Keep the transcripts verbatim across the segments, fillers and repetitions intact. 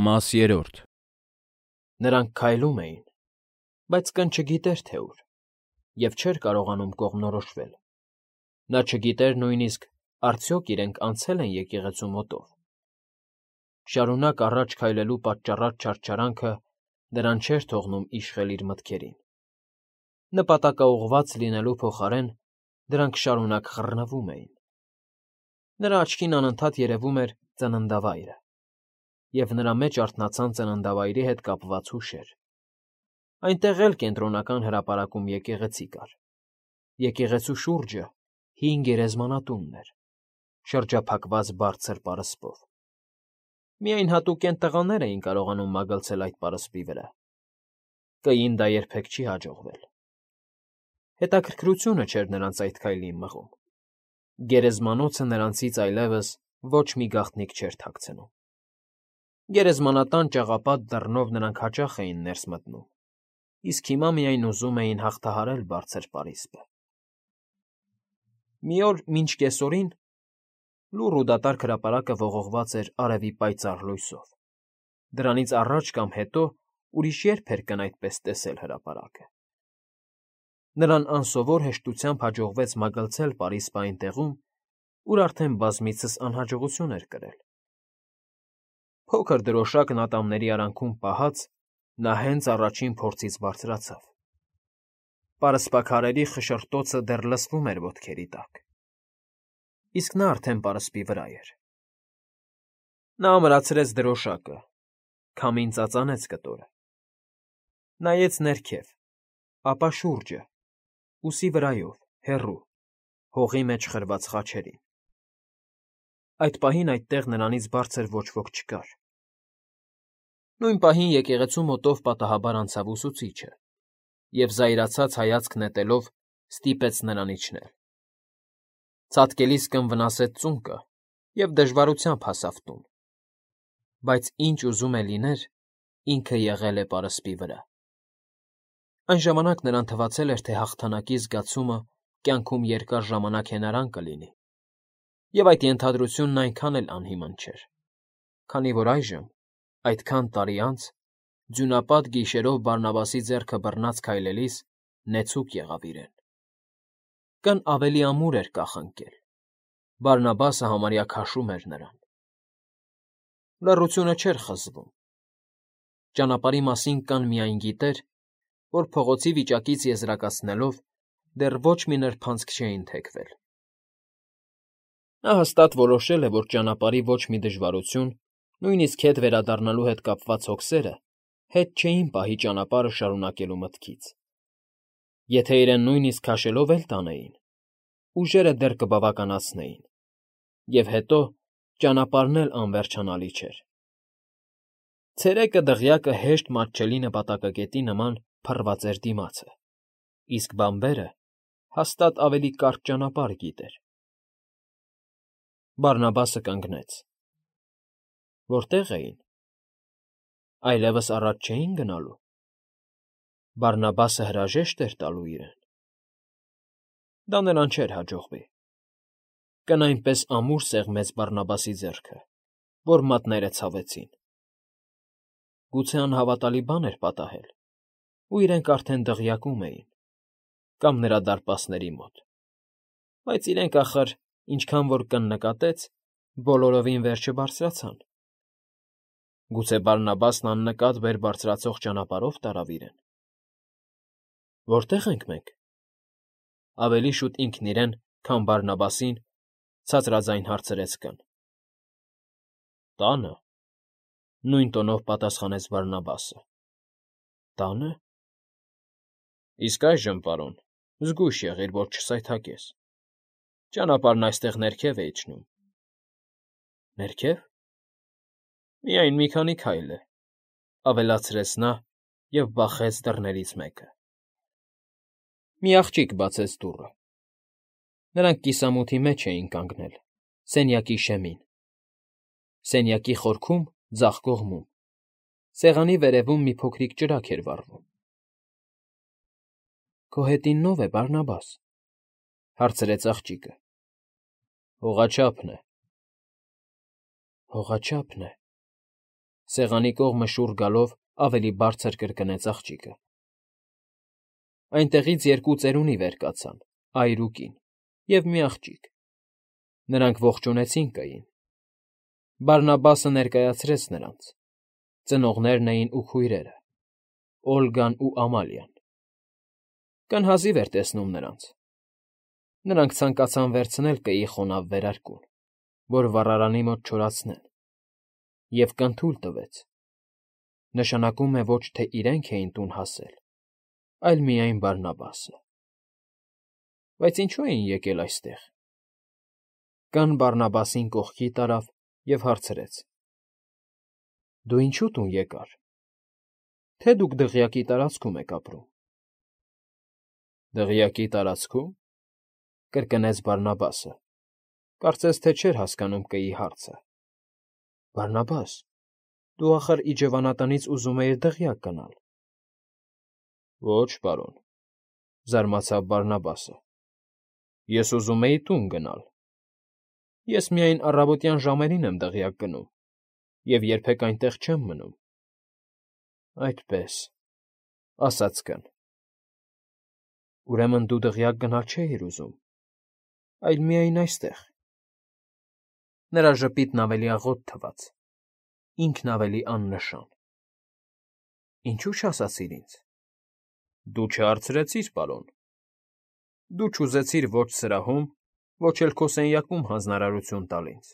Մաս երրորդ Նրանք քայլում էին, բայց կն չգիտեր, թե ուր, և չէր կարողանում կողմնորոշվել. նա չգիտեր նույնիսկ արդյոք իրենք անցե՞լ են եկեղեցու մոտով. շարունակ առաջ քայլելու պատճառած չարչարանքը նրան չէր թողնում իշխել իր մտքերին. նպատակաուղղված լինելու փոխարեն դրանք շարունակ խռնվում էին. նրա աչքին անընդհատ երևում էր ծննդավայրը, և նրա մեջ արթնացան ծննդավայրի հետ կապված հուշեր. այնտեղ էլ Կենտրոնական հրապարակում եկեղեցի կար, եկեղեցու շուրջը հին գերեզմանատունն էր, շրջափակված բարձր պարսպով. միայն հատուկենտ տղաներ էին կարողանում մագլցել այդ պարսպի վրա. կին դա երբեք չի հաջողվել. հետաքրքրությունը չէր նրանց այդ քայլին մղում. գերեզմանոցը նրանցից այլևս ոչ մի գաղտնիք չէր թաքցնում. Գերեզմանատան ճաղապատ դռնով նրանք հաճախ էին ներս մտնում, իսկ հիմա միայն ուզում էին հաղթահարել բարձր պարիսպը. Մի օր մինչ կեսօրին լուռ ու դատարկ հրապարակը ողողված էր արևի պայծառ լույսով. դրանից առաջ կամ հետո ուրիշ ե՞րբ էր կն այդպես տեսել հրապարակը. նրան անսովոր հեշտությամբ հաջողվեց մագլցել պարիսպը այն տեղում, ուր արդեն բազմիցս անհաջողություն էր կրել. փոքր դրոշակն ատամների արանքում պահած, նա հենց առաջին փորձից բարձրացավ. պարսպաքարերի խշշրտոցը դեռ լսվում էր ոտքերի տակ, իսկ նա արդեն պարսպի վրա էր. նա ամրացրեց դրոշակը, քամին ծածանեց կտորը. նայեց ներքև, ապա շուրջը, ուսի վրայով, հեռու, հողի մեջ խրված խաչերին. այդ պահին այդտեղ նրանից բարձր ոչ ոք չկար. նույն պահին եկեղեցու մոտով պատահաբար անցավ ուսուցիչը և զայրացած հայացք նետելով ստիպեց նրան իջնել. ցատկելիս կնվնասեց ծունկը և դժվարությամբ հասավ տուն, բայց ինչ ուզում է լիներ, ինքը եղել է պարսպի վրա. այն ժամանակ նրան թվացել էր, թե հաղթանակի զգացումը կյանքում երկար ժամանակ հենարան կլինի, և այդ ենթադրությունն այնքան էլ անհիմն չէր, քանի որ այժմ, այդքան տարի անց, ձյունապատ գիշերով Բարնաբասի ձեռքը բռնած քայլելիս նեցուկ եղավ իրեն. կն ավելի ամուր էր կախնկել, Բարնաբասը համարյա քաշում էր նրան. լռությունը չէր խզվում. ճանապարհի մասին կան միայն գիտեր, որ փողոցի վիճակից եզրակացնելով դեռ ոչ մի նրբանցք չէին թեքվել. նա հաստատ որոշել է, որ ճանապարհի ոչ մի դժվարություն, նույնիսկ հետ վերադառնալու հետ կապված հոգսերը հետ չէին պահի ճանապարհը շարունակելու մտքից. եթե իրեն նույնիսկ քաշելով էլ տանեին, ուժերը դեռ կբավականացնեին, և հետո ճանապարհն էլ անվերջանալի չէր. ցերեկը դղյակը հեշտ մատչելի նպատակակետի նման փռված էր դիմացը, իսկ բանբերը հաստատ ավելի կարճ ճանապարհ գիտեր. Բարնաբասը կանգնեց. որտե՞ղ էին, այլևս առաջ չէի՞ն գնալու, Բարնաբասը հրաժե՞շտ էր տալու իրեն. դա նրան չէր հաջողվի. կն այնպես ամուր սեղմեց Բարնաբասի ձեռքը, որ մատները ցավեցին. գուցե անհավատալի բան էր պատահել, ու իրենք արդեն դղյակում էին, կամ նրա դարպասների մոտ, բայց իրենք, ախր, ինչքան որ կն նկատեց, բոլորովին վեր չբարձրացան. գուցե Բարնաբասն աննկատ վեր բարձրացող ճանապարհով տարավ իրեն. որտե՞ղ ենք մենք, ավելի շուտ ինքն իրեն, քան Բարնաբասին, ցածրաձայն հարցրեց կն. տանը, նույն տոնով պատասխանեց Բարնաբասը. տանը, իսկ այժմ, պարոն, զգույշ եղիր, որ չսայթաքես, ճանապարհն այստեղ ներքև է իջնում. ներքև, միայն մի քանի քայլ է, ավելացրեց նա և բախեց դռներից մեկը. մի աղջիկ բացեց դուռը. նրանք կիսամութի մեջ էին կանգնել, սենյակի շեմին, սենյակի խորքում, ձախ կողմում, սեղանի վերևում մի փոքրիկ ճրագ էր վառվում. քո հետին ո՞վ է, Բարնաբաս, հարցրեց աղջիկը. հողաչափն է, հողաչափն է, Սեղանի կողմը շուռ գալով ավելի բարձր կրկնեց աղջիկը։ Այնտեղից երկու ծերունի վեր կացան, այր ու կին, և մի աղջիկ. նրանք ողջունեցին կային։ Բարնաբասը ներկայացրեց նրանց. ծնողներն էին ու քույրերը՝ Օլգան ու Ամալիան։ Կին հազիվ էր տեսնում նրանց։ Նրանք ցանկացան վերցնել կգի խոնավ վերարկուն, որ վառարանի մոտ չորացնեն, և կին թույլ տվեց. նշանակում է ոչ թե իրենք էին տուն հասել, այլ միայն Բարնաբասը։ Բայց ինչո՞ւ էին եկել այստեղ։ Կին Բարնաբասին կողքի տարավ և հարցրեց. դու ինչո՞ւ տուն եկար, թե դուք դղյակի տարածքում եք ապրում։ Դղյակի տարածքո՞ւմ,֊ կրկնեց Բարնաբասը, կարծես թե չէր հասկանում կգի հարցը։ Բարնաբաս, դու ախր իջևանատնից ուզում էիր դղյակ գնալ։ Ոչ, պարոն,֊ զարմացավ Բարնաբասը, ես ուզում էի տուն գնալ։ Ես միայն առավոտյան ժամերին եմ դղյակ գնում և երբեք այնտեղ չեմ մնում։ Այդպես,֊ ասաց կին. ուրեմն դու դղյակ գնալ չէիր ուզում, այլ միայն այստեղ։ Նրա ժպիտն ավելի աղոտ թվաց, ինքն ավելի աննշան։ Ինչո՞ւ չասացիր ինձ։ Դու չհարցրեցիր, պարոն։ Դու չուզեցիր ոչ սրահում, ոչ էլ քո սենյակում հանձնարարություն տալ ինձ։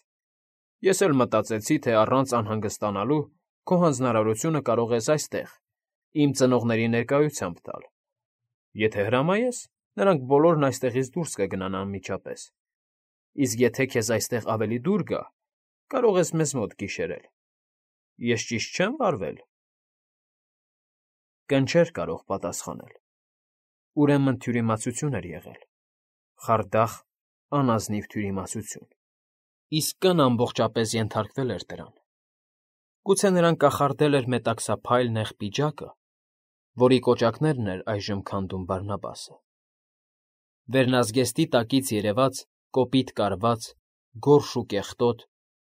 Ես էլ մտածեցի, թե առանց անհանգստանալու քո հանձնարարությունը կարող ես այստեղ, իմ ծնողների ներկայությամբ տալ։ Եթե հրամայես, նրանք բոլորն այստեղից դուրս կգնան անմիջապես, իսկ եթե քեզ այստեղ ավելի դուր գա, կարող ես մեզ մոտ գիշերել։ Ես ճիշտ չե՞մ վարվել։ Կին չէր կարող պատասխանել։ Ուրեմն թյուրիմացություն էր եղել, խարդախ, անազնիվ թյուրիմացություն, իսկ կին ամբողջապես ենթարկվել էր դրան։ Գուցե նրան կախարդել էր մետաքսափայլ նեղ պիջակը, որի կոճակներն էր այժմ քանդում Բարնաբասը։ Վերնազգեստի տակից երևաց կոպիտ կարված, գորշ ու կեղտոտ,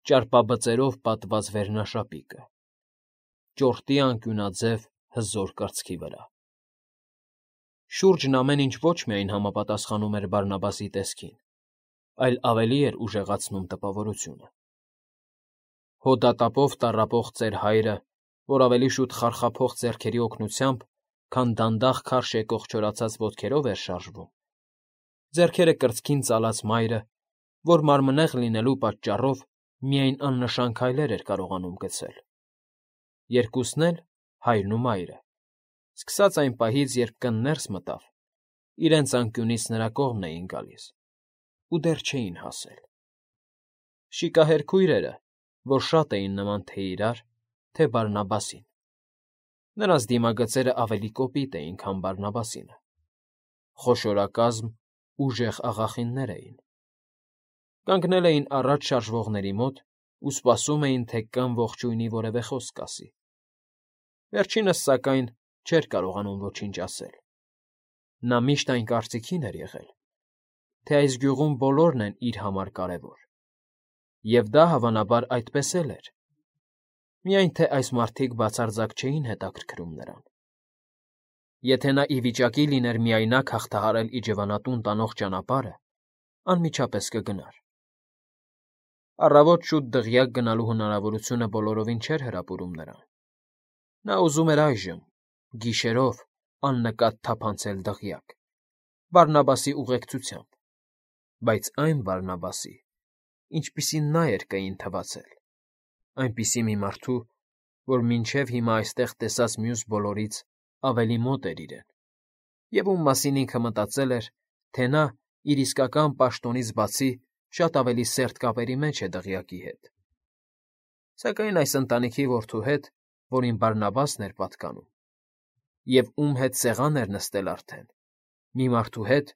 ճարպաբծերով պատված վերնաշապիկը, ճորտի անկյունաձև հզոր կրծքի վրա։ Շուրջն ամեն ինչ ոչ միայն համապատասխանում էր Բարնաբասի տեսքին, այլ ավելի էր ուժեղացնում տպավորությունը։ Հոդատապով տառապող ծեր հայրը, որ ավելի շուտ խարխափող ձեռքերի օգնությամբ, քան դանդաղ քարշ եկող չորացած ոտքերով էր շարժվում, ձեռքերը կրծքին ծալած մայրը, որ մարմնեղ լինելու պատճառով միայն աննշան քայլեր էր կարողանում գցել։ Երկուսն էլ, հայրն ու մայրը, սկսած այն պահից, երբ կին ներս մտավ, իրենց անկյունից նրա կողմն էին գալիս ու դեռ չէին հասել։ Շիկահեր քույրերը, որ շատ էին նման թե իրար, թե Բարնաբասին։ Նրանց դիմագծերը ավելի կոպիտ էին, քան Բարնաբասինը։ Խոշորակազմ, ուժեղ աղախիններ էին։ Կանգնել էին առաջ շարժվողների մոտ ու սպասում էին, թե կին ողջույնի որևէ խոսք ասի։ Վերջինս, սակայն, չէր կարողանում ոչինչ ասել։ Նա միշտ այն կարծիքին էր եղել, թե այս գյուղում բոլորն են իր համար կարևոր, և դա, հավանաբար, այդպես էլ էր, միայն թե այս մարդիկ բացարձակ չէին հետաքրքրում նրան։ Եթե նա ի վիճակի լիներ միայնակ հաղթահարել իջևանատուն տանող ճանապարհը, անմիջապես կգնար։ Առավոտ շուտ դղյակ գնալու հնարավորությունը բոլորովին չէր հրապուրում նրան։ Նա ուզում էր այժմ, գիշերով, աննկատ թափանցել դղյակ, Բարնաբասի ուղեկցությամբ, բայց այն Բարնաբասի, ինչպիսին նա էր կգին թվացել, այնպիսի մի մարդու, որ մինչև հիմա այստեղ տեսած մյուս բոլորից ավելի մոտ էր իրեն, և ում մասին ինքը մտածել էր, թե նա իր իսկական պաշտոնից բացի շատ ավելի սերտ կապերի մեջ է դղյակի հետ։ Սակայն այս ընտանիքի որդու հետ, որին Բարնաբասն էր պատկանում, և ում հետ սեղան էր նստել արդեն, մի մարդու հետ,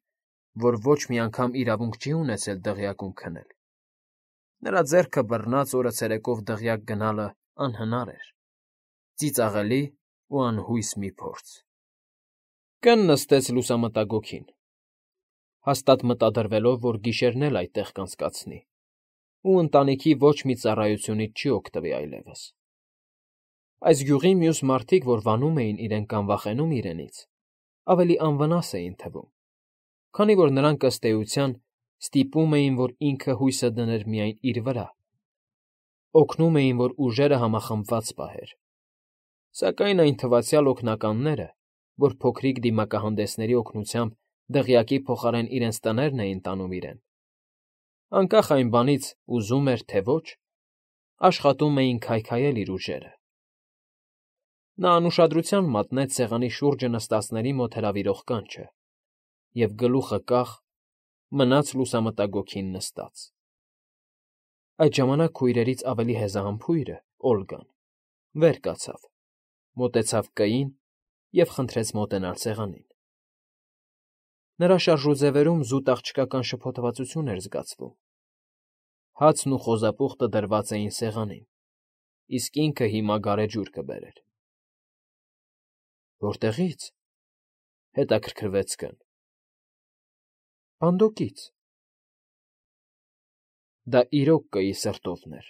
որ ոչ մի անգամ իրավունք չի ունեցել դղյակում քնել, նրա ձեռքը բռնած օրը ցերեկով դղյակ գնալն անհնար էր, ծիծաղելի ու անհույս մի փորձ։ Կին նստեց լուսամտագոգին, հաստատ մտադրվելով, որ գիշերն էլ այդտեղ կանցկացնի ու ընտանիքի ոչ մի ծառայությունից չի օգտվի այլևս։ Այս գյուղի մյուս մարդիկ, որ վանում էին իրեն կամ վախենում իրենից, ավելի անվնաս էին թվում, քանի որ նրանք ըստ էության ստիպում էին, որ ինքը հույսը դներ միայն իր վրա, օգնում էին, որ ուժերը համախմբված պահեր, սակայն այն թվացյալ օգնականները, որ փոքրիկ դիմակահանդեսների օգնությամբ դղյակի փոխարեն իրենց տներն էին տանում իրեն, անկախ այն բանից ուզում էր, թե ոչ, աշխատում էին քայքայել իր ուժերը։ Նա անուշադրության մատնեց սեղանի շուրջը նստածների մոտ հրավիրող կանչը և գլուխը կախ մնաց լուսամտագոգին նստած։ Այդ ժամանակ քույրերից ավելի հեզահամբույրը՝ Օլգան, վեր կացավ, մոտեցավ կային և խնդրեց մոտենալ սեղանին։ Նրա շարժուձևերում զուտ աղջկական շփոթվածություն էր զգացվում։ Հացն ու խոզապուխտը դրված էին սեղանին, իսկ ինքը հիմա գարեջուր կբերեր։ Որտեղի՞ց,֊ հետաքրքրվեց կին։ Բանդոկից։ Դա իրոք Կըի սրտովն էր։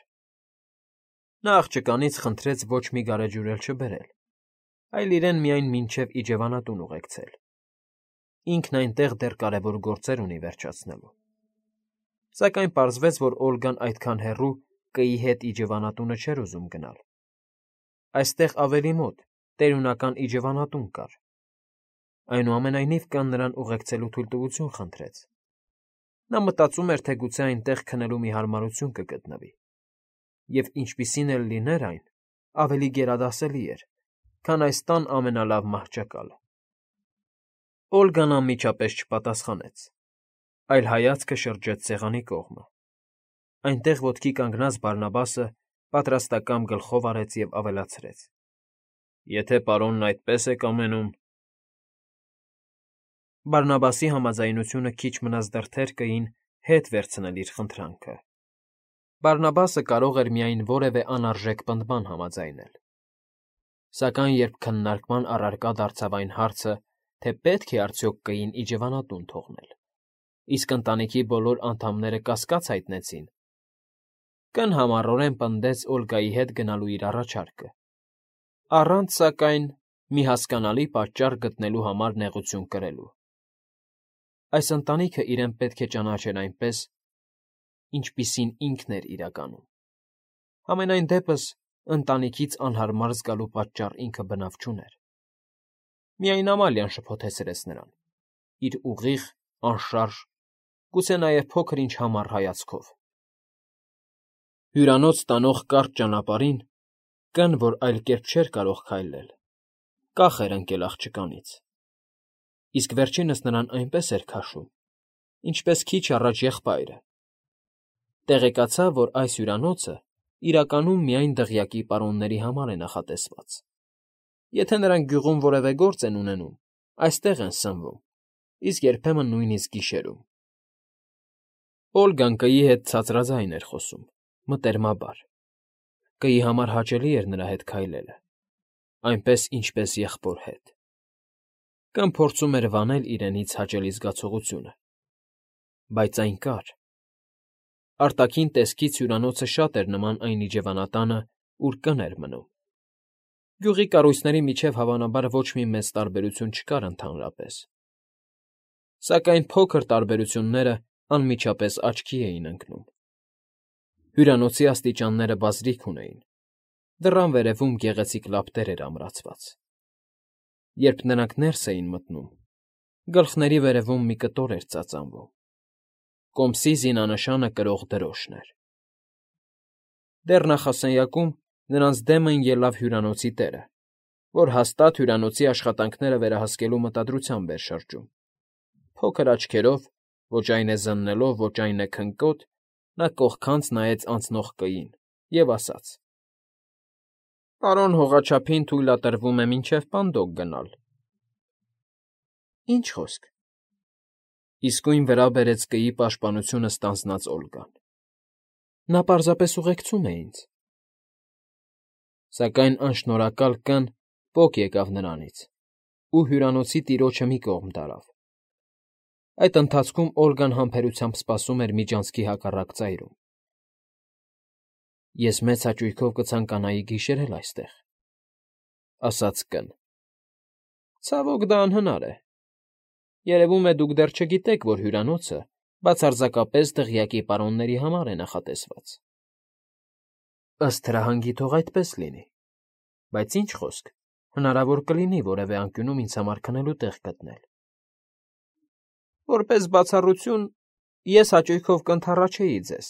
Նա աղջկանից խնդրեց ոչ մի գարեջուր էլ չբերել, այլ իրեն միայն մինչև իջևանատուն ուղեկցել։ Ինքն այնտեղ դեռ կարևոր գործեր ունի վերջացնելու։ Սակայն պարզվեց, որ Օլգան այդքան հեռու Կըի հետ իջևանատունը չէր ուզում գնալ։ Այստեղ ավելի մոտ տերունական իջևանատուն կար։ Այնուամենայնիվ կան նրան ուղեկցելու թույլտվություն խնդրեց։ Նա մտածում էր, թե գուցե այնտեղ քնելու մի հարմարություն կգտնվի, և ինչպիսին էլ լիներ այն, ավելի գերադասելի էր, քան այս տան ամենալավ մահճակալը։ Օլգան անմիջապես չպատասխանեց, այլ հայացքը շրջեց սեղանի կողմը։ Այնտեղ ոտքի կանգնած Բարնաբասը պատրաստակամ գլխով արեց և ավելացրեց. Եթե պարոնն այդպես է կամենում… Բարնաբասի համաձայնությունը քիչ մնաց դրդեր Կըին հետ վերցնել իր խնդրանքը։ Բարնաբասը կարող էր միայն որևէ անարժեք պնդման համաձայնել։ Սակայն երբ քննարկման առարկա դարձավ այն հարցը, թե պետք է արդյոք Կըին իջևանատուն թողնել, իսկ ընտանիքի բոլոր անդամները կասկած հայտնեցին, կին համառորեն պնդեց Օլգայի հետ գնալու իր առաջարկը, առանց, սակայն, մի հասկանալի պատճառ գտնելու համար նեղություն կրելու։ Այս ընտանիքը իրեն պետք է ճանաչեր այնպես, ինչպիսին ինքն էր իրականում։ Համենայն դեպս, ընտանիքից անհարմար զգալու պատճառ ինքը բնավ չուներ։ Միայն Ամալիան շփոթեցրեց նրան՝ իր ուղիղ, անշարժ, գուցե նաև փոքր֊ինչ համառ հայացքով։ Հյուրանոց տանող կարճ ճանապարհին կին, որ այլ կերպ չէր կարող քայլել, կախ էր ընկել աղջկանից, իսկ վերջինս նրան այնպես էր քաշում, ինչպես քիչ առաջ եղբայրը։ Տեղեկացավ, որ այս հյուրանոցը իրականում միայն դղյակի պարոնների համար է նախատեսված։ Եթե նրանք գյուղում որևէ գործ են ունենում, այստեղ են սնվում, իսկ երբեմն նույնիսկ գիշերում։ Օլգան Կըի հետ ցածրաձայն էր խոսում, մտերմաբար։ Կըի համար հաճելի էր նրա հետ քայլելը, այնպես, ինչպես եղբոր հետ։ Կին փորձում էր վանել իրենից հաճելի զգացողությունը, բայց այն կար։ Արտաքին տեսքից հյուրանոցը շատ էր նման այն իջևանատանը, ուր կին էր մնում։ Գյուղի կառույցների միջև հավանաբար ոչ մի մեծ տարբերություն չկար ընդհանրապես։ Սակայն փոքր տարբերությունները անմիջապես աչքի էին ընկնում։ Հյուրանոցի աստիճանները բազրիք ունեին, դռան վերևում գեղեցիկ լապտեր էր ամրացված։ Երբ նրանք ներս էին մտնում, գլխների վերևում մի կտոր էր ծածանվում։ Կոմսի զինանշանը կրող դրոշն էր։ Դեռ նախասենյակում նրանց դեմն ելավ հյուրանոցի տերը, որ հաստատ հյուրանոցի աշխատանքները վերահսկելու մտադրությամբ էր շրջում։ Փոքր աչքերով, ոչ այն է զննելով, ոչ այն է քնկոտ, նա կողքանց նայեց անցնող Կըին և ասաց. Պարոն հողաչափին թույլատրվում է մինչև Պանդոկ գնալ։ Ինչ խոսք։ Իսկույն վրա բերեց Կըի պաշտպանությունը ստանձնած Օլգան։ Նա պարզապես ուղեկցում է ինձ։ Սակայն անշնորհակալ կին պոկ եկավ նրանից ու հյուրանոցի տիրոջը մի կողմ տարավ։ Այդ ընթացքում Օլգան համբերությամբ սպասում էր միջանցքի հակառակ ծայրում։ Ես մեծ հաճույքով կցանկանայի գիշերել այստեղ, ասաց կն։ Ցավոք դա անհնար է։ Երևում է դուք դեռ չգիտեք, որ հյուրանոցը բացարձակապես դղյակի պարոնների համար է նախատեսված։ Ըստ հրահանգի թող այդպես լինի, բայց ինչ խոսք, հնարավոր կլինի որևէ անկյունում ինձ համար քնելու տեղ գտնել։ Որպես բացառություն ես հաճույքով կընդառաջեի ձեզ,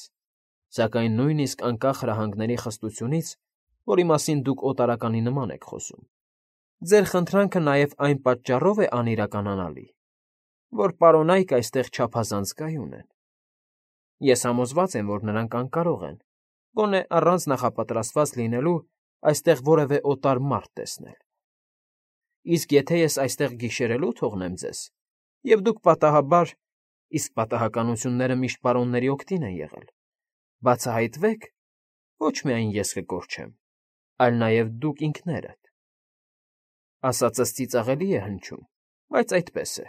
սակայն նույնիսկ անկախ հրահանգների խստությունից, որի մասին դուք օտարականի նման եք խոսում, ձեր խնդրանքը նաև այն պատճառով է անիրականանալի, որ պարոնայք այստեղ չափազանց կայուն են։ Ես համոզված եմ, որ նրանք անկարող են, գոնե առանց նախապատրաստված լինելու այստեղ որևէ օտար մարդ տեսնել։ Իսկ եթե ես այստեղ գիշերելու թողնեմ ձեզ, և դուք պատահաբար, իսկ պատահականությունները միշտ պարոնների օգտին են եղել, բացահայտվեք, ոչ միայն ես կկորչեմ, այլ նաև դուք ինքներդ։ Ասածս ծիծաղելի է հնչում, բայց այդպես է։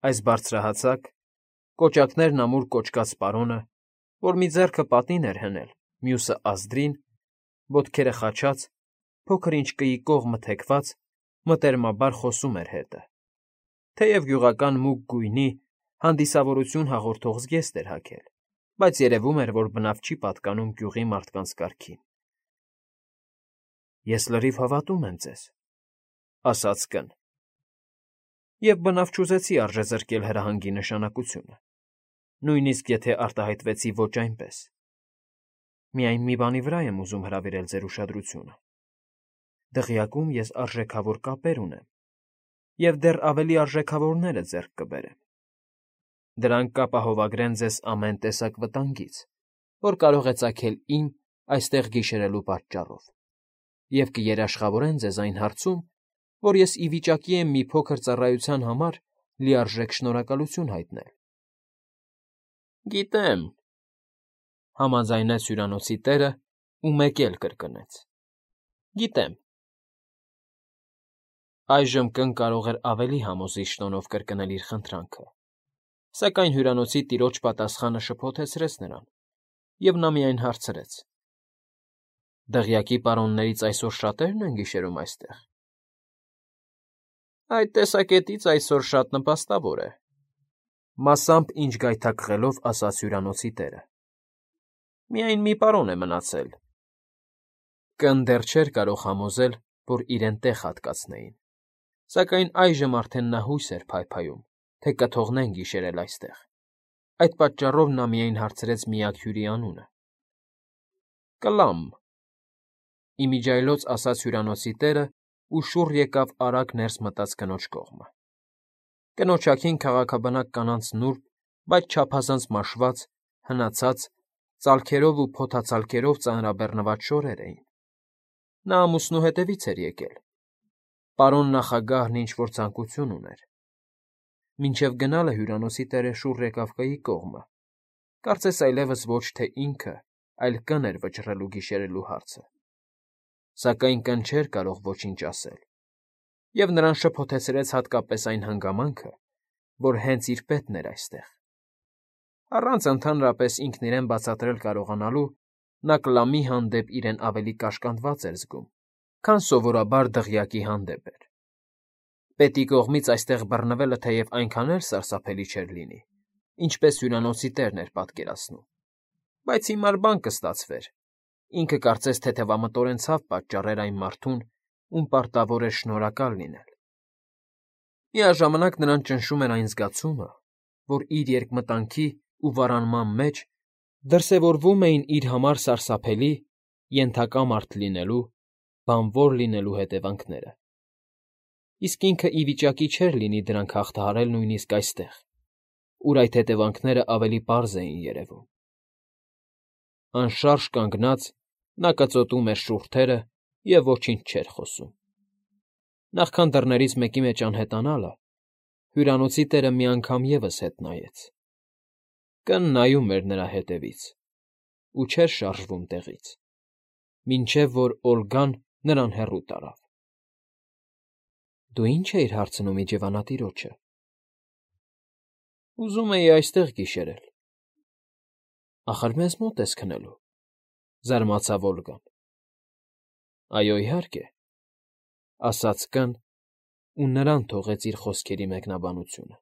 Այս բարձրահասակ, կոճակներն ամուր կոճկած պարոնը, որ մի ձեռքը պատին էր հնել, մյուսը ազդրին, ոտքերը խաչած, փոքր-ինչ կիի կողմը թեքված, մտերմաբար խոսում էր հետը, թեև գյուղական մուգ գույնի, հանդիսավորություն հաղորդող զգեստ էր հագել, բայց երևում էր, որ բնավ չի պատկանում գյուղի մարդկանց կարգին։ Ես լրիվ հավատում եմ ձեզ, ասաց կն, և բնավ չուզեցի արժեզրկել հրահանգի նշանակությունը, նույնիսկ եթե արտահայտվեցի ոչ այնպես։ Միայն մի բանի վրա եմ ուզում հրավիրել ձեր ուշադրությունը։ Դղյակում ես արժեքավոր կապեր ունեմ, և դեռ ավելի արժեքավորները ձեռք կբերեմ։ Դրանք կապահովագրեն ձեզ ամեն տեսակ վտանգից, որ կարող է ծագել իմ այստեղ գիշերելու պատճառով, և կերաշխավորեն ձեզ այն հարցում, որ ես ի վիճակի եմ մի փոքր ծառայության համար լիարժեք շնորհակալություն հայտնել։ Գիտեմ,֊ համաձայնեց հյուրանոցի տերը ու մեկ էլ կրկնեց,֊ գիտեմ։ Այժմ կն կարող էր ավելի համոզիչ տոնով կրկնել իր խնդրանքը, սակայն հյուրանոցի տիրոջ պատասխանը շփոթեցրեց նրան, և նա միայն հարցրեց. Դղյակի պարոններից այսօր շատե՞րն են գիշերում այստեղ։ Այդ տեսակետից այսօր շատ նպաստավոր է,֊ մասամբ ինչ գայթակղելով ասաց հյուրանոցի տերը։ Միայն մի պարոն է մնացել։ Կն դեռ չէր կարող համոզել, որ իրեն տեղ հատկացնեին, սակայն այժմ արդեն նա հույս էր փայփայում, թե կթողնեն գիշերել այստեղ։ Այդ պատճառով նա միայն հարցրեց միակ հյուրի անունը։ Կլամ,֊ իմիջիայլոց ասաց հյուրանոցի տերը ու շուռ եկավ արագ ներս մտած կնոջ կողմը։ Կնոջ ափին քաղաքաբնակ կանանց նուրբ, բայց չափազանց մաշված, հնացած, ծալքերով ու փոթացալկերով ծանրաբեռնված շորեր էին։ Նա ամուսնու հետևից էր եկել։ Պարոն նախագահն ինչ֊որ ցանկություն ուներ։ Մինչև գնալը հյուրանոցի տերը շուռ եկավ կայի կողմը, կարծես այլևս ոչ թե ինքը, այլ կն էր վճռել ու գիշերելու հարցը։ Սակայն կն չէր կարող ոչինչ ասել, և նրան շփոթեցրեց հատկապես այն հանգամանքը, որ հենց իր պետն էր այստեղ։ Առանց ընդհանրապես ինքն իրեն բացատրել կարողանալու, նա Կլամի հանդեպ իրեն ավելի կաշկանդված էր զգում, քան սովորաբար դղյակի հանդեպ էր։ Պետի կողմից այստեղ բռնվելը թեև այնքան էլ սարսափելի չէր լինի, ինչպես հյուրանոցի տերն էր պատկերացնում, բայց հիմար բան կստացվեր, ինքը կարծես թեթևամտորեն ցավ պատճառեր այն մարդուն, ում պարտավոր էր շնորհակալ լինել։ Միաժամանակ նրան ճնշում էր այն զգացումը, որ իր երկմտանքի ու վարանման մեջ դրսևորվում էին իր համար սարսափելի, ենթակա մարդ լինելու, բանվոր լինելու հետևանքները։ Իսկ ինքը ի վիճակի չէր լինի դրանք հաղթահարել նույնիսկ այստեղ, ուր այդ հետևանքները ավելի պարզ էին երևում։ Անշարժ կանգնած՝ նա կծոտում էր շուրթերը և ոչինչ չէր խոսում։ Նախքան դռներից մեկի մեջ անհետանալը, հյուրանոցի տերը մի անգամ ևս հետ նայեց։ Կն նայում էր նրա հետևից ու չէր շարժվում տեղից, մինչև որ Օլգան նրան հեռու տարավ։ Դու ի՞նչ էիր հարցնում իջևանատիրոջը։ Ուզում էի այստեղ գիշերել։ Ախր մեզ մոտ ես քնելու,֊ զարմացավ Օլգան։ Այո, իհարկե, Ասաց կն ու նրան թողեց իր խոսքերի մեկնաբանությունը։